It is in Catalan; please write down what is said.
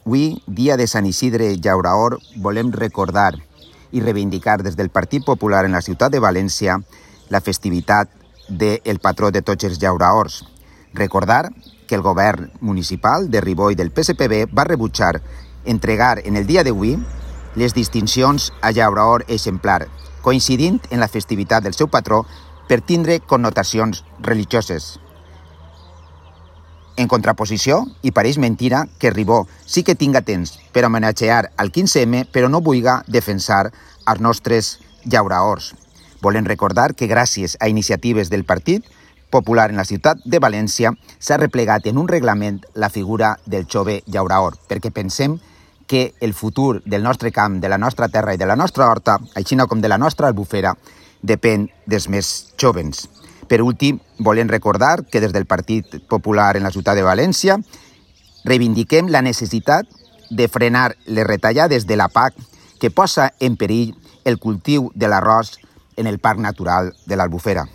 Avui, dia de Sant Isidre Llauraor, volem recordar i reivindicar des del Partit Popular en la ciutat de València la festivitat del patró de tots els llauraors. Recordar que el govern municipal de Ripoll del PSPB va rebutjar entregar en el dia d'avui les distincions a llauraor exemplar, coincidint en la festivitat del seu patró per tindre connotacions religioses. En contraposició, i pareix mentira que Ribó sí que tinga temps per homenatgear al 15M, però no vulga defensar els nostres llauraors. Volem recordar que gràcies a iniciatives del Partit Popular en la ciutat de València s'ha replegat en un reglament la figura del jove llauraor, perquè pensem que el futur del nostre camp, de la nostra terra i de la nostra horta, així com de la nostra albufera, depèn dels més jovens. Per últim, volem recordar que des del Partit Popular en la ciutat de València reivindiquem la necessitat de frenar les retallades de la PAC que posa en perill el cultiu de l'arròs en el Parc Natural de l'Albufera.